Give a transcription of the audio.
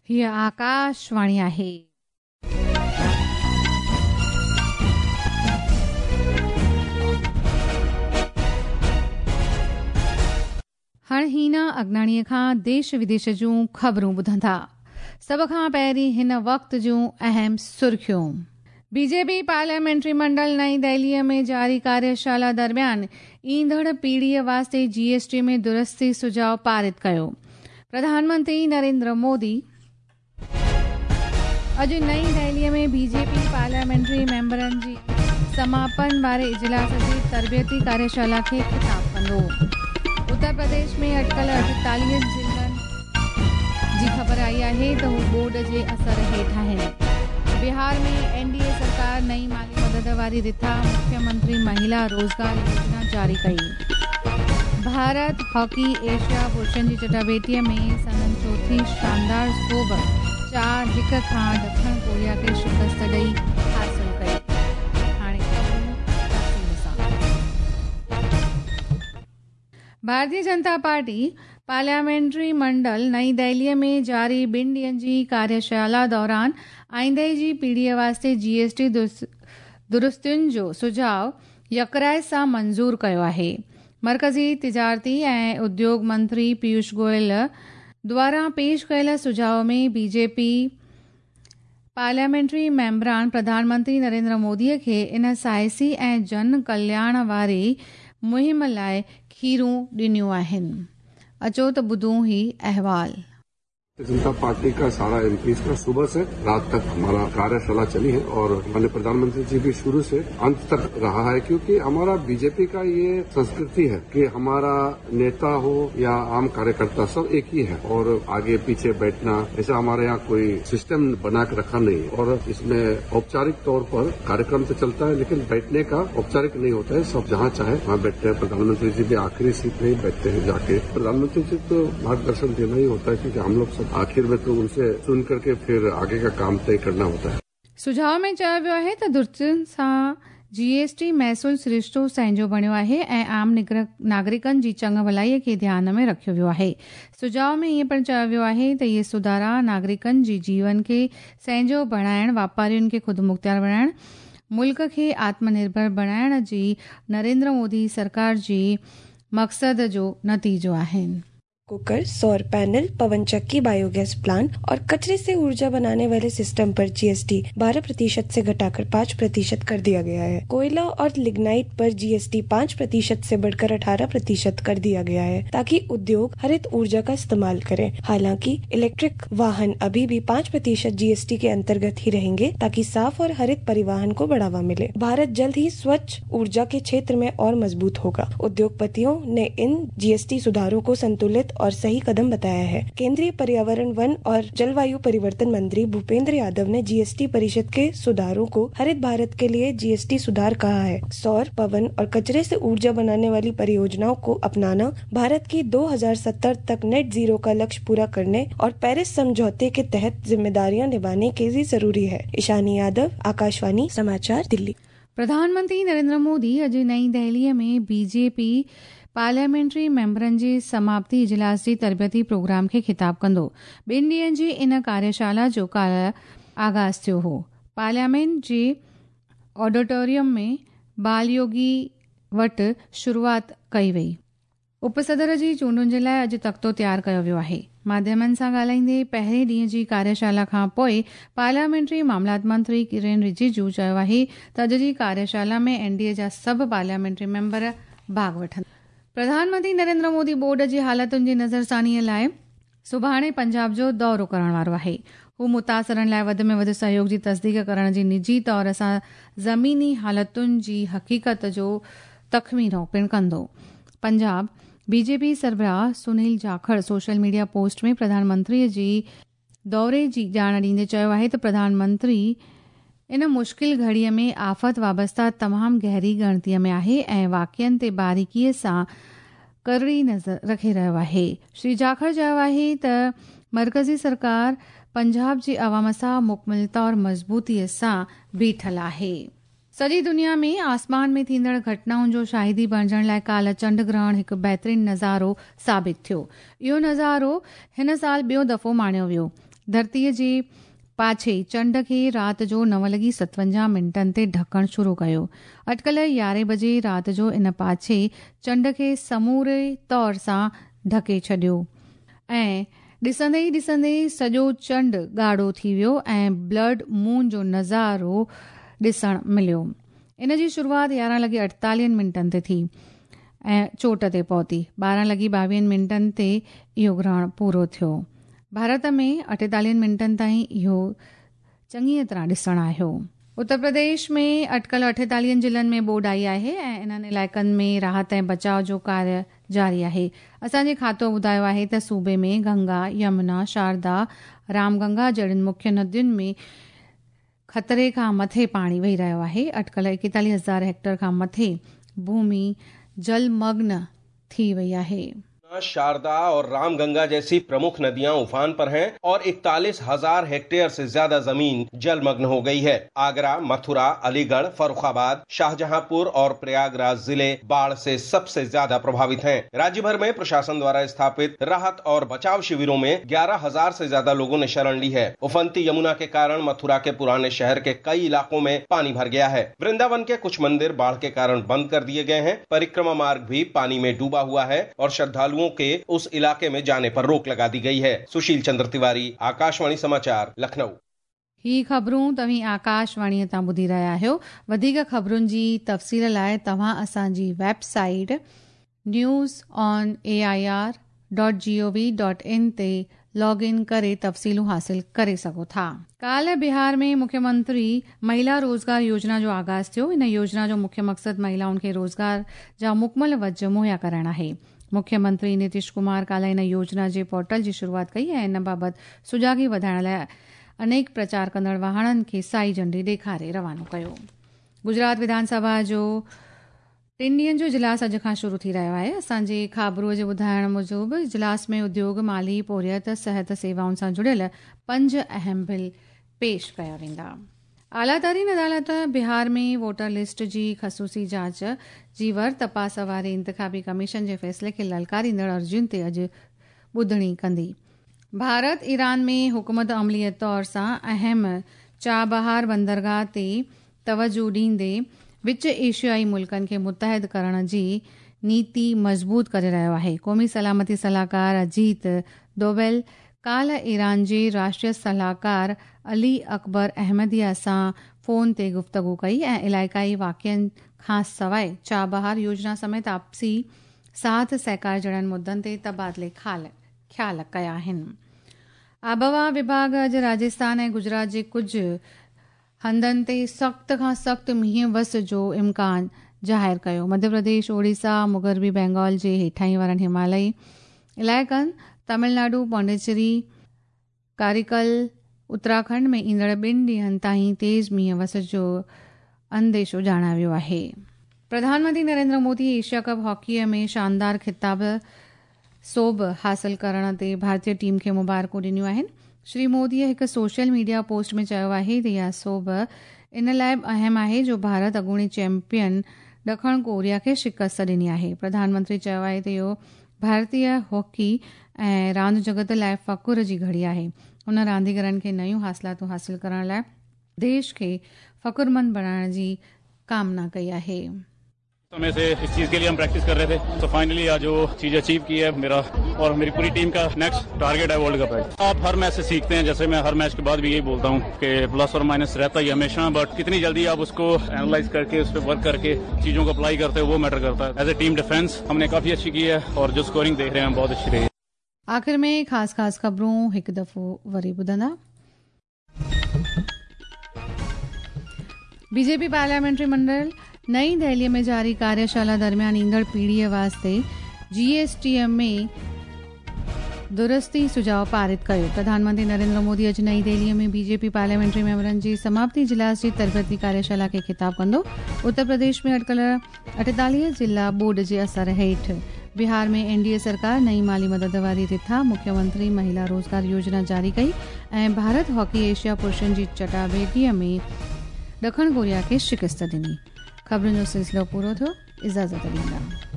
هيء آڪاشواڻي آهي. هاڻ هينا اگناڻيء کان ديش وديش جون خبرون ٻڌندا. سڀ کان پهرين هن وقت جون اهم سرخيون. بي جي پي پارليامينٽري منڊل نئين دهليء ۾ جاري ڪاريشالا درميان ايندڙ پيڙهيء واسطي جي ايس ٽي ۾ درستي سجهاء پارت ڪيو. پرڌان منتري نريندر مودي اڄ نئين دهليء ۾ بي جي پي پارليامينٽري ميمبرن جي سماپن واري اجلاس جي تربيتي ڪاريشالا کي خطاب ڪندو. اتر پرديش ۾ اٽڪل 48 ضلعن جي خبر آئي آهي ته هو ٻوڏ جي اثر هيٺ آهن. بهار ۾ اين ڊي اي سرڪار نئين مالي مدد واري رٿا مکيه منتري مهلا روزگار يوجنا جاري ڪئي. ڀارت هاڪي ايشيا پرشن جي چٽاڀيٽيء ۾ سندن چوٿين شاندار سوڀ 4 هڪ کان ڏکڻ ڪوريا کي شڪست ڏئي حاصل ڪئي. هاڻي خبرون تفصيل سان. ڀارتيه جنتا پارٽي پارليامينٽري منڊل نئين دهليء ۾ جاري ٻن ڏينهن جي ڪاريشالا دوران آئنده جي پيڙهيء واسطي جي ايس ٽي درستين جو سجهاء يڪراء سان منظور ڪيو آهي. مرڪزي تجارتي ۽ اديوگ منتري پيوش گويل دواران پيش ڪيل سجهاء ۾ بي جي پي پارليامينٽري ميمبران پرڌان منتري نريندر مودي کي ان سائسي ۽ جن ڪلياڻ واري مهم لاء کيرون ڏنيون آهن. اچو ته ٻڌون هي احوال. जनता पार्टी का सारा एमपी का सुबह से रात तक हमारा कार्यशाला चली है और माननीय प्रधानमंत्री जी भी शुरू से अंत तक रहा है, क्योंकि हमारा बीजेपी का ये संस्कृति है कि हमारा नेता हो या आम कार्यकर्ता सब एक ही है और आगे पीछे बैठना ऐसा हमारे यहाँ कोई सिस्टम बना के रखा नहीं है। और इसमें औपचारिक तौर पर कार्यक्रम तो चलता है, लेकिन बैठने का औपचारिक नहीं होता है। सब जहाँ चाहे वहाँ बैठते हैं। प्रधानमंत्री जी भी आखिरी सीट में ही बैठते हैं जाके। प्रधानमंत्री जी तो मार्गदर्शन देना ही होता है, क्योंकि हम लोग सब आखिर में तो उनसे सुन करके फिर आगे का काम तय करना होता है। सुझाव में चयो वियो आहे त दुरुस्तियुनि सां जी एस टी महसूल सरिश्तो सहजो बणियो आहे ऐं आम नागरिकनि जी चङ भलाईअ खे ध्यान में रखियो वियो आहे। सुझाव में ईअं पिणु चयो वियो आहे त इहे सुधारा नागरिकनि जी जीवन खे सहजो बणाइण, वापारियुनि खे ख़ुदमुख़्तियार बणाइण, मुल्क खे आत्मनिर्भर बणाइण जी नरेंद्र मोदी सरकार जी मक़सद जो नतीजो आहिनि। कुकर, सौर पैनल, पवन चक्की, बायोगैस प्लांट और कचरे से ऊर्जा बनाने वाले सिस्टम पर जीएसटी 12% से घटाकर 5% कर दिया गया है। कोयला और लिग्नाइट पर जीएसटी 5% से बढ़कर 18% कर दिया गया है, ताकि उद्योग हरित ऊर्जा का इस्तेमाल करें। हालांकि इलेक्ट्रिक वाहन अभी भी 5% जीएसटी के अंतर्गत ही रहेंगे, ताकि साफ और हरित परिवहन को बढ़ावा मिले। भारत जल्द ही स्वच्छ ऊर्जा के क्षेत्र में और मजबूत होगा। उद्योगपतियों ने इन जीएसटी सुधारों को संतुलित और सही कदम बताया है। केंद्रीय पर्यावरण, वन और जलवायु परिवर्तन मंत्री भूपेंद्र यादव ने जीएसटी परिषद के सुधारों को हरित भारत के लिए जीएसटी सुधार कहा है। सौर, पवन और कचरे से ऊर्जा बनाने वाली परियोजनाओं को अपनाना भारत की 2070 तक नेट जीरो का लक्ष्य पूरा करने और पेरिस समझौते के तहत जिम्मेदारियां निभाने के लिए जरूरी है। ईशानी यादव, आकाशवाणी समाचार, दिल्ली। प्रधानमंत्री नरेंद्र मोदी अॼु नई दहलीअ में बीजेपी पार्लियामेंट्री मेंबरनि जे समाप्ति इजलास जी तरबियती प्रोग्राम खे ख़िताब कंदो। ॿिनि ॾींहंनि जी इन कार्यशाला जो काल्हि आगाज़ थियो हो। पार्लियामेंट जे ऑडिटोरियम में बालयोगी वटि शुरूआत कई वई। उपसदर जी चूंडुनि जे लाइ अॼु तख़्तो तयारु कयो वियो आहे। माध्यमनि सां ॻाल्हाईंदे पहिरें ॾींहं जी कार्यशाला खां पोइ पार्लियामेंट्री मामलात मंत्री किरण रिजिजू चयो आहे त अॼु जी कार्यशाला में एन डी ए जा सभु पार्लियामेंट्री मेंबर भाॻ वठंदा। प्रधानमंत्री नरेंद्र मोदी ॿोॾ जी हालतुनि जी नज़रसानीअ लाइ सुभाणे पंजाब जो दौरो करण वारो आहे। हू मुतासिरनि लाइ वधि में वधि सहयोग जी तस्दीक करण जी निजी तौर सां ज़मीनी हालतुनि जी हक़ीक़त जो तख़मीनो पिणु कंदो। पंजाब बीजेपी सरबराह Sunil Jakhar social media post में प्रधानमंत्रीअ जी दौरे जी ॼाण ॾींदे चयो आहे त प्रधानमंत्री इन मुश्किल घड़ीअ में आफ़त वाबस्ता तमामु गहरी ॻणतीअ में आहे ऐं वाक़ियनि ते बारीकीअ सां करड़ी नज़र रखे रहियो आहे। श्री जाखड़ चयो आहे त मर्कज़ी सरकार पंजाब जी अवाम सां मुकमिल तौर मज़बूतीअ सां बीठल आहे। सॼी दुनिया में आसमान में थींदड़ घटनाउनि जो शाहिदी बणिजण लाइ काल्हि चंड ग्रहण हिकु बहितरीन नज़ारो साबित थियो। इहो नज़ारो हिन साल ॿियो दफ़ो माणियो वियो। ڌرتيء جي پاڇي چنڊ کي رات جو 9:57 تي ڍڪڻ شروع ڪيو. اٽڪل 11 بجي رات جو ان پاڇي چنڊ کي سموري طور سان ڍڪي ڇڏيو ۽ ڏسندي ئي ڏسندي سڄو چنڊ ڳاڙهو ٿي ويو ۽ بلڊ مون جو نظارو ڏسڻ مليو. ان جي شروعات 11:48 تي ٿي ۽ چوٽ تي پهتي. 12:22 تي اهو گرهڻ پورو ٿيو. ڀارت ۾ 48 منٽن تائين اهو چڱيء طرح ڏسڻ آيو. اتر پرديش ۾ اٽڪل 48 ضلعن ۾ ٻوڏ آئي آهي ۽ انهن علائقن ۾ راحت ۽ بچاء جو ڪاريه جاري آهي. اسان جي کاتو ٻڌايو آهي ته صوبي ۾ گنگا، يمنا، شاردا، رام گنگا جهڙين مکيه ندين ۾ خطري کان مٿي پاڻي وهي رهيو آهي. اٽڪل 41 هزار هيڪٽر کان مٿي ڀومي جلمگن ٿي وئي آهي. शारदा और रामगंगा जैसी प्रमुख नदियां उफान पर हैं और 41,000 हेक्टेयर से ज्यादा जमीन जलमग्न हो गई है। आगरा, मथुरा, अलीगढ़, फर्रुखाबाद, शाहजहांपुर और प्रयागराज जिले बाढ़ से सबसे ज्यादा प्रभावित हैं। राज्य भर में प्रशासन द्वारा स्थापित राहत और बचाव शिविरों में 11,000 से ज्यादा लोगों ने शरण ली है। उफनती यमुना के कारण मथुरा के पुराने शहर के कई इलाकों में पानी भर गया है। वृंदावन के कुछ मंदिर बाढ़ के कारण बंद कर दिए गए हैं। परिक्रमा मार्ग भी पानी में डूबा हुआ है और श्रद्धालुओं के उस इलाके में जाने पर रोक लगा दी गई है। सुशील चंद्र तिवारी, आकाशवाणी समाचार, लखनऊ। ही ख़बरूं तव्हीं आकाशवाणीअ तां ॿुधी रहिया आहियो। वधीक ख़बरुनि जी तफ़सील लाइ तव्हां असांजी website newsonair.gov.in ते लॉग इन करे तफ़सीलूं हासिल करे सघो था। काल्ह बिहार में मुख्यमंत्री महिला रोज़गार योजना जो आगाज़ थियो। इन योजना जो मुख्य मक़सदु महिलाउनि खे रोज़गार जा मुकमल वज मुहैया कराइण आहे। मुख्यमंत्री नीतीश कुमार काल्ह इन योजना जे पोर्टल जी शुरूआत कई ऐं इन बाबति सुजागी वधाइण लाइ अनेक प्रचार कंदड़ वाहणनि खे साई झंडी ॾेखारे रवानो कयो। गुजरात विधानसभा जो टिनि ॾींहंनि जो इजलास अॼु खां शुरू थी रहियो आहे। असांजे ख़ाबरूअ जे ॿुधाइण मूजिबि इजलास में उद्योग, माली, पोरियत, सिहत सेवाउनि सां जुड़ियल 5 अहम बिल पेश कया वेंदा। आला तरीन अदालत बिहार में वोटर लिस्ट जी ख़सूसी जांच जी वर तपास वारे इंतिखाबी कमीशन जे फ़ैसिले खे ललकारींदड़ अर्ज़ियुनि ते अॼु ॿुधणी कंदी। भारत ईरान में हुकूमत अमली तौर सां अहम चाबहार बंदरगाह ते तवजो ॾींदे विच एशियाई मुल्कनि खे मुतहद करण जी नीति मज़बूत करे रहियो आहे। क़ौमी सलामती सलाहकार अजीत दोवेल काल्ह ईरान जे राष्ट्रीय सलाहकार अली अकबर अहमदिया सां फ़ोन ते गुफ़्तगू कई ऐं इलाइक़ाई वाक़िअनि खां सवाइ चाबहार योजना समेत आपसी साथ सहकार जहिड़नि मुद्दनि ते तबादिले ख़्याल कया आहिनि। आबहवा विभाग अॼु राजस्थान ऐं गुजरात जे कुझु हंधनि ते सख़्त खां सख़्तु मींहुं वस जो इम्कान ज़ाहिर कयो। मध्य प्रदेश, ओडिशा, मुग़रबी बंगाल जे हेठाई वारनि हिमालयी इलाइक़नि, तमिलनाडु, पौंडीचेरी, कारिकल, उत्तराखंड में ईंदड़ 2 ॾींहंनि ताईं तेज़ मींहुं वस जो अंदेशो ॼाणायो वियो आहे। प्रधानमंत्री नरेंद्र मोदी एशिया कप हॉकीअ में शानदार ख़िताब सोभ हासिल करण ते भारतीय टीम खे मुबारकूं ॾिनियूं आहिनि। श्री मोदीअ हिकु सोशल मीडिया पोस्ट में चयो आहे त इहा सोभ इन लाइ बि अहम आहे जो भारत अॻूणे चैंपियन ॾखण कोरिया खे शिकस्त ॾिनी आहे। प्रधानमंत्री चयो आहे त इहो भारतीय हॉकी ऐं रांदि जगत लाइ फ़ख्र जी घड़ी आहे। हुन रांदीगरनि खे नयूं हासिलातूं हासिल करण लाइ देश खे फ़ख्रमंद बणाइण जी कामना कई आहे। समय से इस चीज के लिए हम प्रैक्टिस कर रहे थे, तो फाइनली आज वो चीज अचीव की है। मेरा और मेरी पूरी टीम का नेक्स्ट टारगेट है वर्ल्ड कप है। आप हर मैच से सीखते हैं, जैसे मैं हर मैच के बाद भी यही बोलता हूँ कि प्लस और माइनस रहता ही हमेशा, बट कितनी जल्दी आप उसको एनालाइज करके उस पर वर्क करके चीजों को अप्लाई करते हो वो मैटर करता है। एज ए टीम डिफेंस हमने काफी अच्छी की है और जो स्कोरिंग देख रहे हैं बहुत अच्छी रही है। आख़िर में ख़ासि ख़ासि ख़बरूं हिकु दफ़ो वरी ॿुधंदा। बीजेपी पार्लियामेंट्री मंडल नई दिल्लीअ में जारी कार्यशाला दरमियान ईंदड़ पीढ़ीअ वास्ते जीएसटीअ में दुरुस्ती सुझाव पारित कयो। प्रधानमंत्री नरेंद्र मोदी अॼु नई दिल्लीअ में बीजेपी पार्लियामेंट्री मेंबरनि जी समाप्ति इजलास जी तरबियती कार्यशाला खे ख़िताब कंदो। उत्तर प्रदेश में अटकल 48 ज़िला ॿोॾ जे असर हेठि। बिहार में एनडीए सरकार नई माली मदद वारी रिथा मुख्यमंत्री महिला रोज़गार योजना जारी कई ऐं भारत हॉकी एशिया पुरुषनि जी चटाभेटीअ में ॾखण कोरिया खे शिकस्त ॾिनी। ख़बरुनि जो सिलसिलो पूरो थियो। इजाज़त ॾींदा।